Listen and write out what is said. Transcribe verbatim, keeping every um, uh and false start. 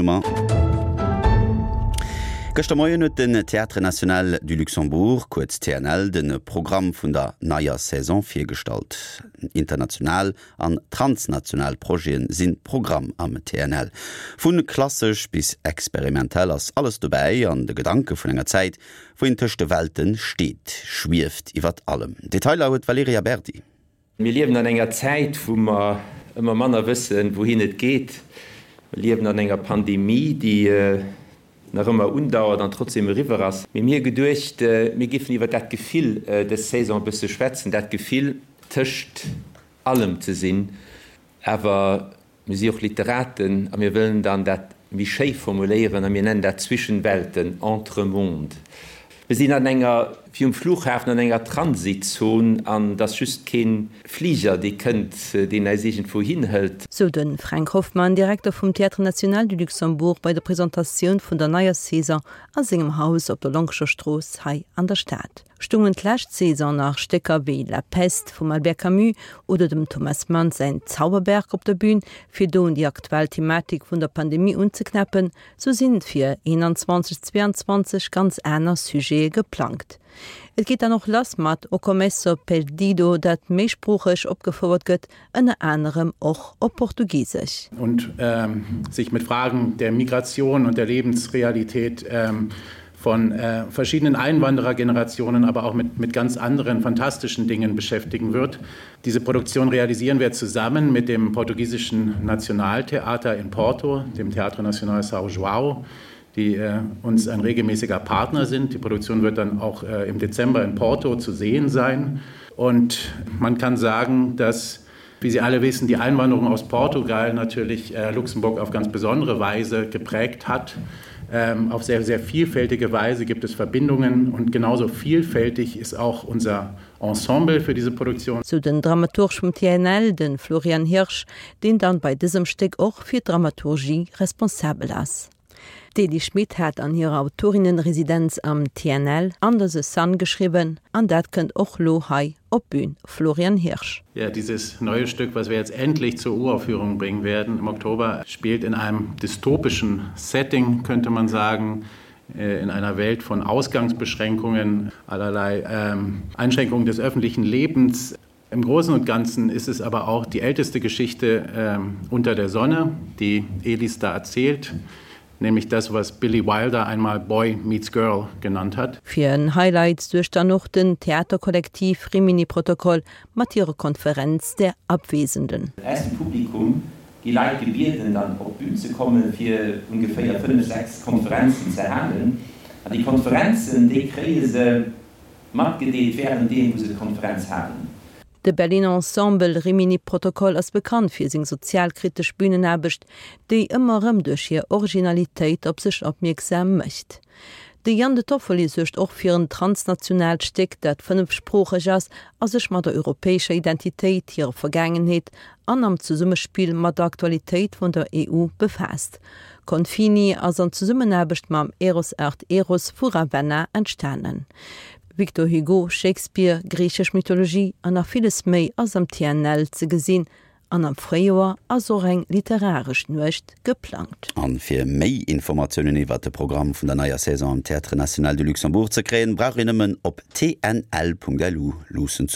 Nummer. Gëschter Moien huet den Théâtre National du Luxembourg, kuerz TNL, de Programm vun der neier Saison virgestallt. International an transnational Projete sinn Programm am TNL. Vu klassesch bis experimentell ass alles dobäi an de Gedanke vun enger Zäit, wou een tëscht de Welte steet, schwieft iwwer allem. Detailer huet d'Valerija Berdi. Mir liewen an enger Zäit, wou mer ëmmer manner wëssen, wouhin et geet. Mir liewen an enger Pandemie, déi nach ëmmer undauert an trotzdem eriwwer ass. Mee mir hu geduecht, mir géifen iwwer dat Gefill dës Saison e bësse schwätzen, dat Gefill, tëscht allem ze sinn. Awer mir si och Literaten a mir wëllen dann dat méi schéi formuléieren a mir nennen dat zwischen Welten, entre mondes. Mir sinn an enger, wéi um Flughafen, an enger Transitzon an et ass just kee Fliger, dee kënnt, deen eis iergendwou hinhëlt. Sou de Fränk Hoffmann, Direkter vum Théâtre National du Luxembourg bei der Presentatioun vun der neier Saison a sengem Haus op der Lonkescher Strooss hei an der Stad. Stungen d'lescht Saison nach Stécker wéi La Peste vum Albert Camus oder dem Thomas Mann säin Zauberberg op der Bün, fir do un déi aktuell Thematik vun der Pandemie unzeknäppen, sou sinn fir eenanzwanzeg zweeanzwanzeg ganz aner Sujete geplangt. Et geet dann och lass mat O Começo Perdido, dat méisproocheg opgefouert gëtt, ënner anerem och op Portugisesch. Und sich mit Fragen der Migration und der Lebensrealität von verschiedenen Einwanderergenerationen, aber auch mit, mit ganz anderen fantastischen Dingen beschäftigen wird. Diese Produktion realisieren wir zusammen mit dem portugiesischen Nationaltheater in Porto, dem Teatro Nacional São João, die uns ein regelmäßiger Partner sind. Die Produktion wird dann auch im Dezember in Porto zu sehen sein. Und man kann sagen, dass, wie Sie alle wissen, die Einwanderung aus Portugal natürlich Luxemburg auf ganz besondere Weise geprägt hat. Auf sehr, sehr vielfältige Weise gibt es Verbindungen und genauso vielfältig ist auch unser Ensemble für diese Produktion. Sou den Dramaturg vum T N L, de Florian Hirsch, deen dann bei dësem Stéck och fir d'Dramaturgie responsabel ass. D'Ely Schmit hat an hirer Autorinnenresidenz am T N L Under the Sun geschriwwen an dat kënnt och lo hei op d'Bün. Florian Hirsch. Ja, dieses neue Stück, was wir jetzt endlich zur Uraufführung bringen werden im Oktober, spielt in einem dystopischen Setting, könnte man sagen, in einer Welt von Ausgangsbeschränkungen, allerlei ähm, Einschränkungen des öffentlichen Lebens. Im Großen und Ganzen ist es aber auch die älteste Geschichte ähm, unter der Sonne, die Elis da erzählt, nämlich das, was Billy Wilder einmal Boy meets Girl genannt hat. Fir en Highlight suergt dann och den Theaterkollektiv Rimini Protokoll mat hirer Konferenz der Abwesenden. Aus dem Publikum gi Leit gebieden, dann op d'Bün ze kommen, fir ongeféier fënnef, sechs Konferenzen ze halen. An déi Konferenzen, déi kréie se matgedeelt wärenddeem, wou se d'Konferenz halen. De Berliner Ensemble Rimini Protokoll ass bekannt fir seng sozialkritesch Bünenaarbecht, déi ëmmer erëm duerch hir Originalitéit op sech opmierksam mécht. De Jan De Toffoli suergt och fir en transnationaalt Stéck, dat fënnefsproocheg ass a sech mat der europäescher Identitéit, hirer Vergaangenheet an am Zesummespill mat der Aktualitéit vun der E U befaasst. Confini ass an Zesummenaarbecht mam Eros Art Eros vu Ravenna entstanen. Victor Hugo, Shakespeare, griichesch Mythologie an nach villes méi ass am T N L ze gesinn an am Fréijoer ass och eng literaresch Nuecht geplangt. An fir méi Informatiounen iwwer de Programm vun der neier Saison am Théâtre National du Luxembourg ze kréien, brauch een nëmmen op T N L Punkt L U luussen ze.